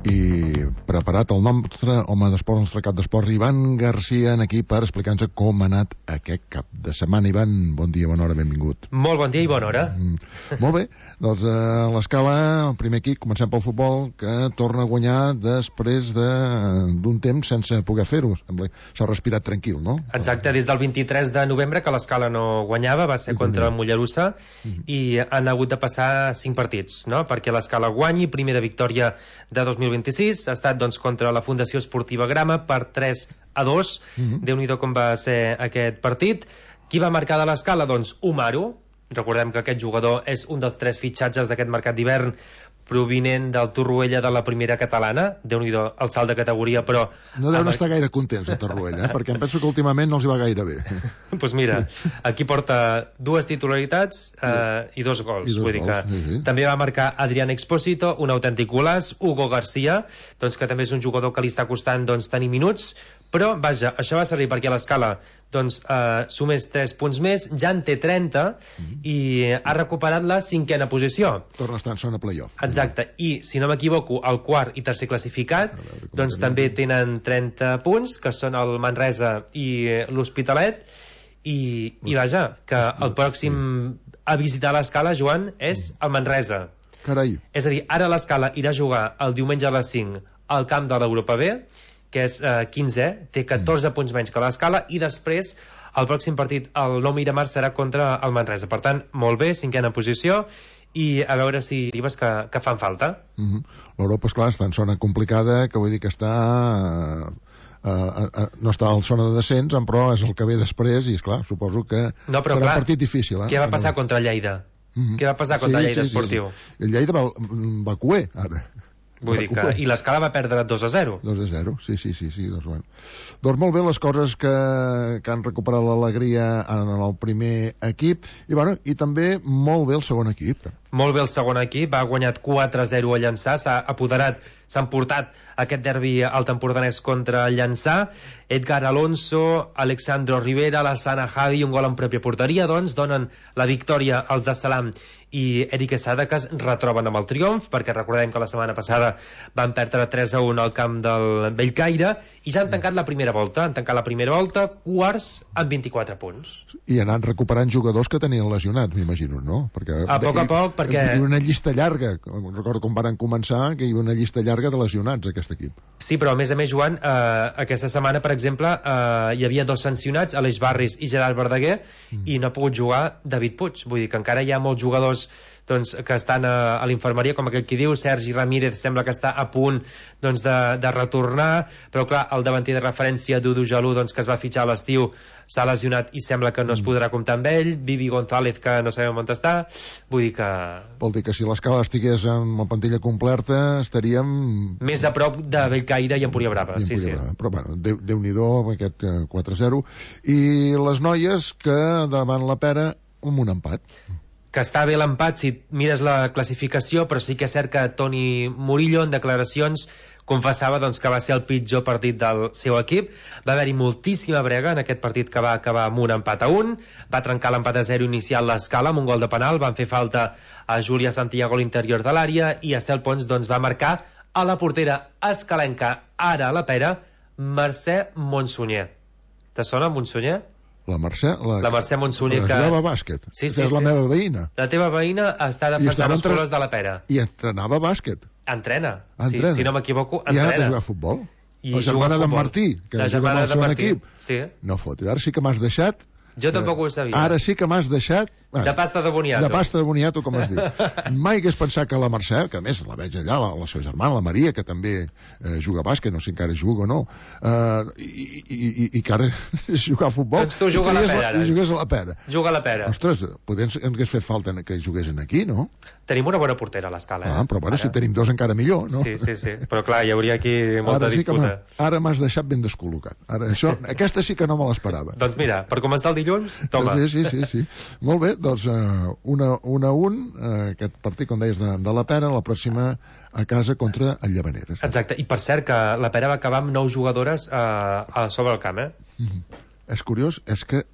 i preparat el nostre home d'esport, el nostre cap d'esport, Ivan Garcia, aquí per explicar-nos com ha anat aquest cap de setmana. Ivan, bon dia, bona hora, benvingut. Molt bon dia i bona hora. Molt bé, doncs a l'escala, el primer equip, comencem pel futbol, que torna a guanyar després d'un temps sense poder fer-ho. S'ha respirat tranquil, no? Exacte, des del 23 de novembre que l'escala no guanyava, va ser contra el Mollerussa, i han hagut de passar 5 partits, no? Perquè l'escala guanyi, primera victòria de 2026, ha estat doncs contra la Fundació Esportiva Grama per 3-2. Déu-n'hi-do com va ser aquest partit. Qui va marcar de l'escala? Doncs Umaru. Recordem que aquest jugador és un dels 3 fitxatges d'aquest mercat d'hivern, provinent del Torroella de la primera catalana. Déu-n'hi-do el salt de categoria, però... No deuen estar gaire contents a Torroella, perquè em penso que últimament no els hi va gaire bé. Doncs mira, aquí porta 2 titularitats i 2 gols. Vull dir que també va marcar Adrián Expósito, un autèntic golaç. Hugo García, doncs, que també és un jugador que li està costant tenir minuts, però vaja, això va servir perquè l'escala sumés 3 punts més, ja en té 30 i ha recuperat la 5a posició. Torna a estar en zona playoff. Exacte, i si no m'equivoco, el quart i tercer classificat doncs també tenen 30 punts, que són el Manresa i l'Hospitalet, i vaja, que el pròxim a visitar l'escala, Joan, és el Manresa. Carai. És a dir, ara l'escala irà a jugar el diumenge a les 5 al camp de l'Europa B, que és 15è, té 14 punts menys que l'escala, i després el pròxim partit, el 9 Miramar, serà contra el Manresa. Per tant, molt bé, 5a posició, i a veure si arribes que fan falta. L'Europa, esclar, està en zona complicada, que vull dir que està... no està en zona de descens, però és el que ve després, i esclar, suposo que no, però, serà clar, un partit difícil. Què va passar contra Lleida? Què va passar contra Lleida Esportiu? El Lleida va cuer, ara. Vull dir que... I l'escala va perdre 2-0. 2-0, sí. Doncs molt bé les coses que han recuperat l'alegria en el primer equip, i també molt bé el segon equip. Molt bé el segon equip, ha guanyat 4-0 a Llançà, s'ha emportat aquest derbi al tempordanès contra el Llançà. Edgar Alonso, Alexandro Rivera, Lassana Javi, un gol en pròpia porteria, doncs donen la victòria als de Salam i Eric Esada, que es retroben amb el triomf, perquè recordem que la setmana passada van perdre 3-1 al camp del Bellcaire, i ja han tancat la primera volta, quarts amb 24 punts. I han anat recuperant jugadors que tenien lesionats, m'imagino, no? Perquè a poc, perquè... Hi havia una llista llarga, recordo com van començar, que hi havia una llista llarga de lesionats, aquest equip. Sí, però a més, Joan, aquesta setmana, per exemple, hi havia 2 sancionats, Aleix Barris i Gerard Verdaguer, i no ha pogut jugar David Puig. Vull dir que encara hi ha molts jugadors que estan a l'infermeria, com aquell qui diu. Sergi Ramírez sembla que està a punt de retornar, però clar, el davanter de referència, Dudu Jalú, que es va fitxar a l'estiu, s'ha lesionat i sembla que no es podrà comptar amb ell. Vivi González, que no sabem on està. Vull dir que... Vol dir que si l'escala estigués amb la plantilla completa estaríem... més a prop de Bellcaire i Empúria Brava. Sí. Però bueno, Déu-n'hi-do aquest 4-0. I les noies que davant la Pera amb un empat. Que està bé l'empat si mires la classificació, però sí que és cert que Toni Murillo en declaracions confessava que va ser el pitjor partit del seu equip. Va haver-hi moltíssima brega en aquest partit, que va acabar amb un empat a 1, va trencar l'empat a 0 inicial l'escala amb un gol de penal, van fer falta a Júlia Santiago a l'interior de l'àrea, i Estel Pons va marcar a la portera escalenca, ara a la Pera, Mercè Monsunyer. Te sona Monsunyer? La Mercè Monsunyer, que jugava a bàsquet. Sí, és la meva veïna. La teva veïna està defensant els colors de la Pera. I entrenava a bàsquet. Entrena. Si no m'equivoco, entrena. I ha anat a jugar a futbol. La germana d'en Martí, que juga en el segon equip. No fot, ara sí que m'has deixat. Jo tampoc ho sabia. Ara sí que m'has deixat... De pasta de boniato. De pasta de boniato, com es diu. Mai hagués pensat que la Mercè, que a més la veig allà, la seva germana, la Maria, que també juga a bàsquet, no sé encara juga o no, i que ara és jugar a futbol. Doncs tu juga a la Pera, ara. I jugués a la Pera. Juga a la Pera. Ostres, potser ens hagués fet falta que juguessin aquí, no? Tenim una bona portera a l'escala, però bueno, si tenim 2 encara millor, no? Sí. Però clar, hi hauria aquí molta disputa. Ara m'has deixat ben descol·locat. Aquesta sí que no me l'esperava. Doncs mira, per començar el dilluns, toma. Sí. Molt bé, doncs 1-1, aquest partit, com deies, de la Pera, la pròxima a casa contra el Llavaneres. Exacte, i per cert que la Pera va acabar amb 9 jugadores sobre el camp, És curiós, és que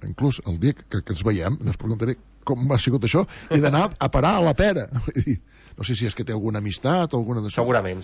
inclús el dia que ens veiem, ens preguntaré com ha sigut això, he d'anar a parar a la Pera. No sé si és que té alguna amistat o alguna... Segurament.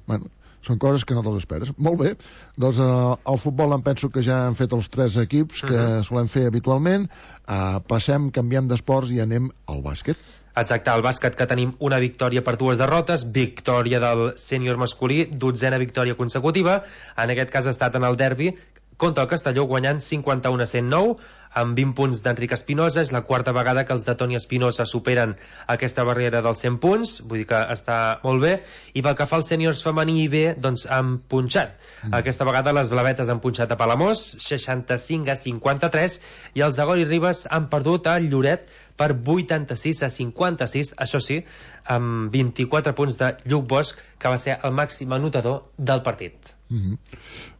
Bueno, són coses que no te'ls esperes. Molt bé, doncs al futbol em penso que ja han fet els 3 equips que solem fer habitualment. Canviem d'esports i anem al bàsquet. Exacte, al bàsquet, que tenim una victòria per 2 derrotes, victòria del sènior masculí, 12a victòria consecutiva. En aquest cas ha estat en el derbi contra el Castelló, guanyant 51-109 amb 20 punts d'Enric Espinosa. És la 4a vegada que els de Toni Espinosa superen aquesta barrera dels 100 punts, vull dir que està molt bé. I pel que fa als sèniors femení i B, doncs han punxat. Aquesta vegada les blavetes han punxat a Palamós 65-53 i els de Gori Ribes han perdut a Lloret per 86-56, això sí, amb 24 punts de Lluc Bosch, que va ser el màxim anotador del partit.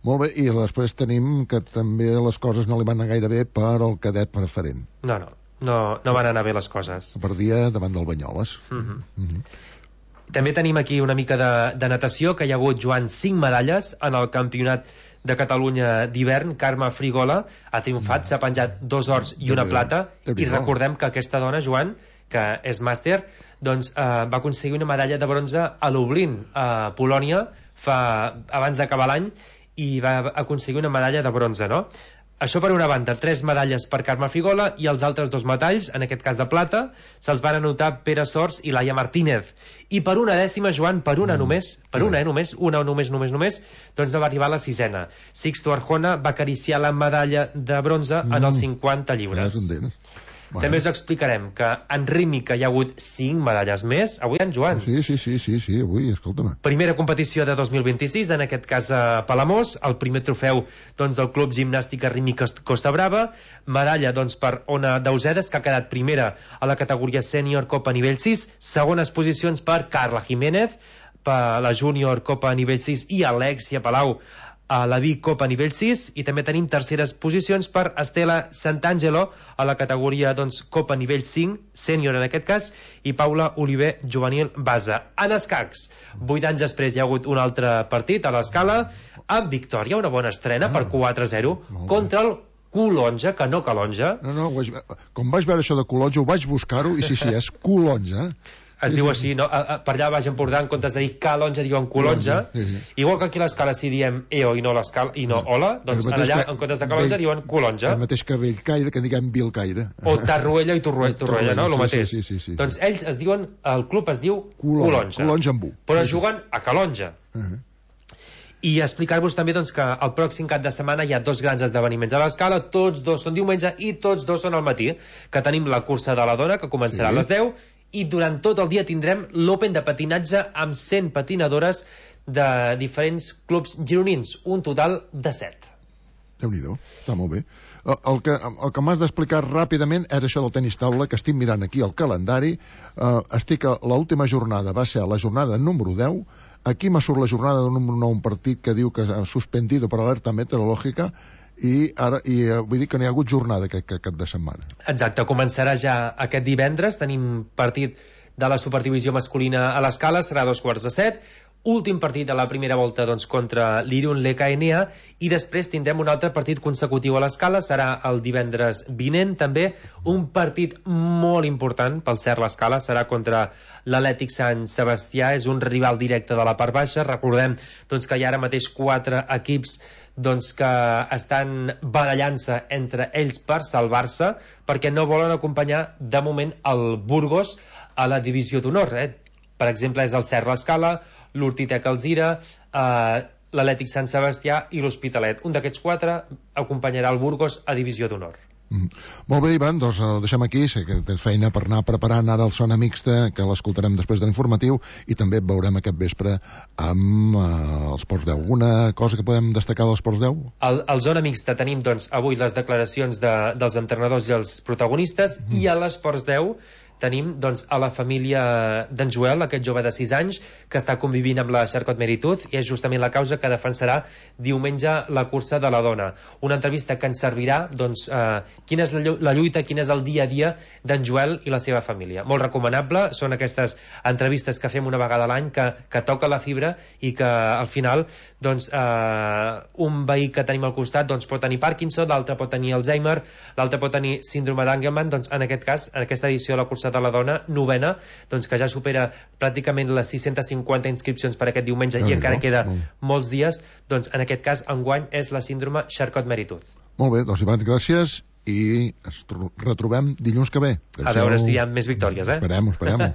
Molt bé, i després tenim que també les coses no li van anar gaire bé per al cadet preferent. No van anar bé les coses. Perdia davant del Banyoles. També tenim aquí una mica de natació, que hi ha hagut, Joan, 5 medalles en el campionat de Catalunya d'hivern. Carme Frigola ha triomfat, s'ha penjat 2 ors i una plata, i recordem que aquesta dona, Joan, que és màster, doncs va aconseguir una medalla de bronze a Lublin, a Polònia, abans d'acabar l'any, i va aconseguir una medalla de bronze, no? Això per una banda, 3 medalles per Carme Frigola, i els altres 2 metalls, en aquest cas de plata, se'ls van anotar Pere Sors i Laia Martínez. I per una dècima, Joan, per una només, només, doncs no va arribar a la 6a. Sixto Arjona va acariciar la medalla de bronze en els 50 lliures. També us explicarem que en rítmica hi ha hagut 5 medalles més. Avui, en Joan. Sí, avui, escolta'm. Primera competició de 2026, en aquest cas a Palamós, el primer trofeu doncs, del Club Gimnàstica Rítmica Costa Brava, medalla doncs, per Ona Dausedes, que ha quedat primera a la categoria sènior Copa nivell 6, segones posicions per Carla Jiménez, per la júnior Copa nivell 6, i Alexia Palau a la Vic Copa nivell 6, i també tenim terceres posicions per Estela Sant'Angelo a la categoria doncs, Copa nivell 5, sènior en aquest cas, i Paula Oliver, juvenil base. En escacs, 8 anys després hi ha hagut un altre partit a l'Escala, amb victòria, una bona estrena per 4-0 contra el Colonja, que no Calonja. No, com vaig veure això de Colonja ho vaig buscar-ho, i sí, és Colonja. Es diu així, no? Per allà a Baix Empordà, en comptes de dir Calonja, diuen Colonja. Igual que aquí a l'Escala si diem EO i no l'Escala, i no Ola, doncs allà, en comptes de Calonja, diuen Colonja. El mateix que Bellcaire, que diguem Vilcaire. O Tarruella i Torroella, no? El mateix. Doncs ells es diuen, el club es diu Colonja. Colonja amb U. Però juguen a Calonja. I explicar-vos també doncs, que el pròxim cap de setmana hi ha 2 grans esdeveniments a l'Escala, tots 2 són diumenge i tots 2 són al matí, que tenim la cursa de la dona, que començarà a les 10, i durant tot el dia tindrem l'Open de patinatge amb 100 patinadores de diferents clubs gironins, un total de 7. Déu-n'hi-do, està molt bé. El que m'has d'explicar ràpidament era això del tenis taula, que estic mirant aquí el calendari. L'última jornada va ser la jornada número 10. Aquí me surt la jornada número 9, un partit que diu que ha suspendido per alerta meteorològica, i vull dir que no hi ha hagut jornada aquest cap de setmana. Exacte, començarà ja aquest divendres. Tenim partit de la Superdivisió masculina a l'Escala, serà a 2:15, últim partit de la primera volta doncs, contra l'Irun l'EKNA, i després tindrem un altre partit consecutiu a l'Escala, serà el divendres vinent també, un partit molt important pel Cert l'Escala, serà contra l'Atlètic Sant Sebastià, és un rival directe de la part baixa. Recordem doncs, que hi ha ara mateix 4 equips doncs, que estan barallant-se entre ells per salvar-se, perquè no volen acompanyar de moment el Burgos a la divisió d'honor. Per exemple, és el Cert l'Escala, l'Hortitec Alzira, l'Atlètic Sant Sebastià i l'Hospitalet. Un d'aquests 4 acompanyarà el Burgos a divisió d'honor. Molt bé, Ivan, doncs el deixem aquí. Sé que tens feina per anar preparant ara el Zona Mixta, que l'escoltarem després de l'informatiu, i també et veurem aquest vespre amb els Ports 10. Alguna cosa que podem destacar dels Ports 10? Al Zona Mixta tenim doncs, avui les declaracions dels entrenadors i els protagonistes, i a l'Esports 10 tenim doncs, a la família d'en Joel, aquest jove de 6 anys que està convivint amb la Xarcot Merituz, i és justament la causa que defensarà diumenge la cursa de la dona. Una entrevista que ens servirà doncs, quina és la lluita, quin és el dia a dia d'en Joel i la seva família. Molt recomanable, són aquestes entrevistes que fem una vegada a l'any que toca la fibra, i que al final doncs, un veí que tenim al costat doncs, pot tenir Parkinson, l'altre pot tenir Alzheimer, l'altre pot tenir síndrome d'Angelman. Doncs, en aquest cas, en aquesta edició de la cursa cursa de la dona, 9ª, doncs que ja supera pràcticament les 650 inscripcions per aquest diumenge i encara queda molts dies, doncs en aquest cas enguany és la síndrome Charcot-Marie-Tooth. Molt bé, doncs Ivan, gràcies i ens retrobem dilluns que ve. A veure si hi ha més victòries, Esperem-ho.